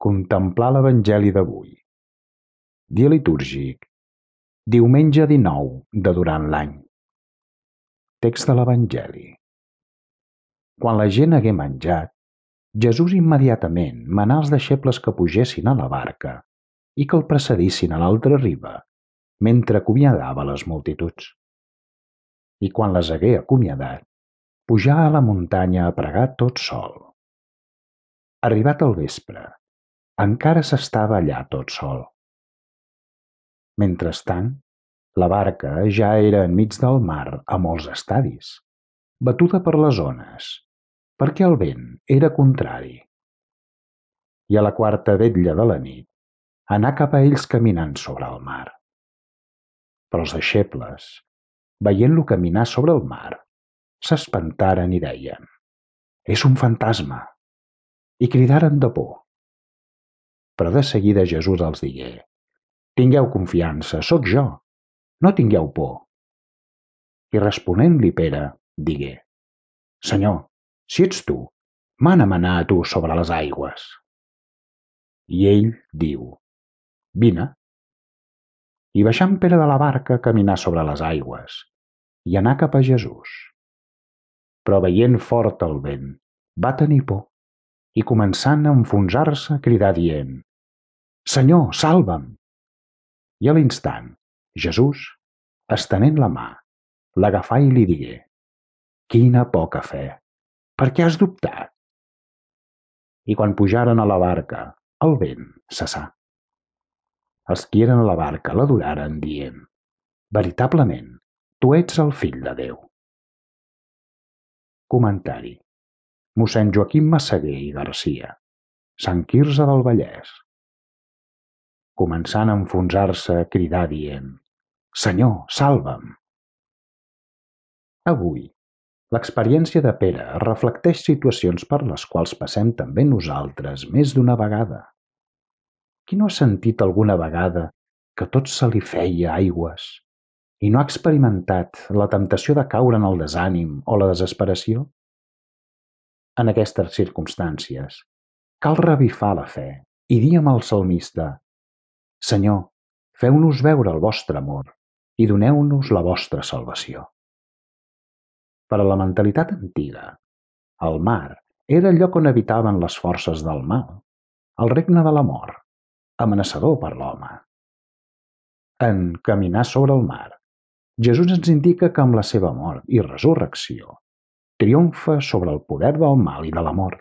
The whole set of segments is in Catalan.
Contemplar l'Evangeli d'avui. Dia litúrgic. Diumenge 19 de durant l'any. Text de l'Evangeli. Quan la gent hagué menjat, Jesús immediatament manà als deixebles que pugessin a la barca i que el precedissin a l'altra riba, mentre acomiadava les multituds. I quan les hagué acomiadat, pujà a la muntanya a pregar tot sol. Arribat el vespre, encara s'estava allà tot sol. Mentrestant, la barca ja era enmig del mar a molts estadis, batuda per les ones, perquè el vent era contrari. I a la quarta vetlla de la nit anà cap a ells caminant sobre el mar. Però els deixebles, veient-lo caminar sobre el mar, s'espantaren i deien: «És un fantasma!» i cridaren de por. Però de seguida Jesús els digué: «Tingueu confiança, sóc jo, no tingueu por». I responent-li Pere, digué: «Senyor, si ets tu, mana'm anar a tu sobre les aigües». I ell diu: «Vine». I baixant Pere de la barca caminà sobre les aigües i anà cap a Jesús. Però veient fort el vent, va tenir por i començant a enfonsar-se cridà dient: «Senyor, salva'm!» I a l'instant, Jesús, estenent la mà, l'agafà i li digué: «Quina poca fe! Per què has dubtat?» I quan pujaren a la barca, el vent cessà. Els qui eren a la barca l'adoraren, dient: «Veritablement, tu ets el Fill de Déu». Comentari. Mossèn Joaquim Massaguer i Garcia, Sant Quirze del Vallès. Començant a enfonsar-se, cridà dient: «Senyor, salva'm!» Avui, l'experiència de Pere reflecteix situacions per les quals passem també nosaltres més d'una vegada. Qui no ha sentit alguna vegada que tot se li feia aigües i no ha experimentat la temptació de caure en el desànim o la desesperació? En aquestes circumstàncies, cal revifar la fe i dir amb el salmista: «Senyor, feu-nos veure el vostre amor i doneu-nos la vostra salvació». Per a la mentalitat antiga, el mar era el lloc on habitaven les forces del mal, el regne de la mort, amenaçador per l'home. En caminar sobre el mar, Jesús ens indica que amb la seva mort i resurrecció triomfa sobre el poder del mal i de la mort,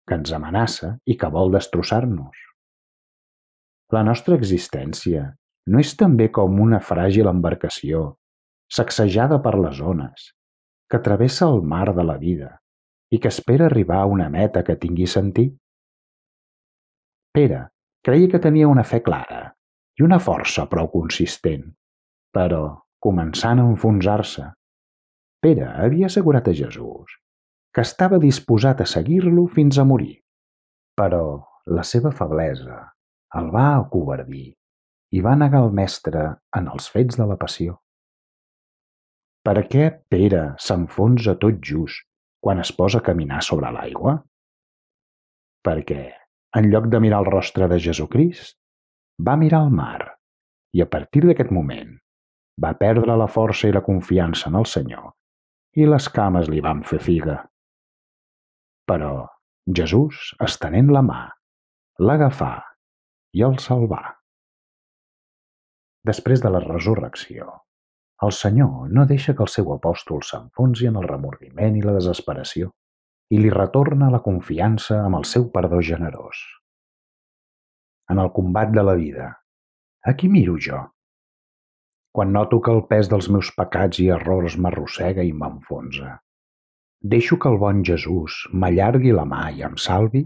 que ens amenaça i que vol destrossar-nos. La nostra existència no és també com una fràgil embarcació, sacsejada per les ones, que travessa el mar de la vida i que espera arribar a una meta que tingui sentit? Pere creia que tenia una fe clara i una força prou consistent, però, començant a enfonsar-se, Pere havia assegurat a Jesús que estava disposat a seguir-lo fins a morir. Però la seva feblesa el va acovardir i va negar el Mestre en els fets de la passió. Per què Pere s'enfonsa tot just quan es posa a caminar sobre l'aigua? Perquè, en lloc de mirar el rostre de Jesucrist, va mirar el mar i a partir d'aquest moment va perdre la força i la confiança en el Senyor i les cames li van fer figa. Però Jesús, estenent la mà, l'agafà i el salvà. Després de la resurrecció, el Senyor no deixa que el seu apòstol s'enfonsi en el remordiment i la desesperació i li retorna la confiança amb el seu perdó generós. En el combat de la vida, a qui miro jo? Quan noto que el pes dels meus pecats i errors m'arrossega i m'enfonsa, deixo que el bon Jesús m'allargui la mà i em salvi?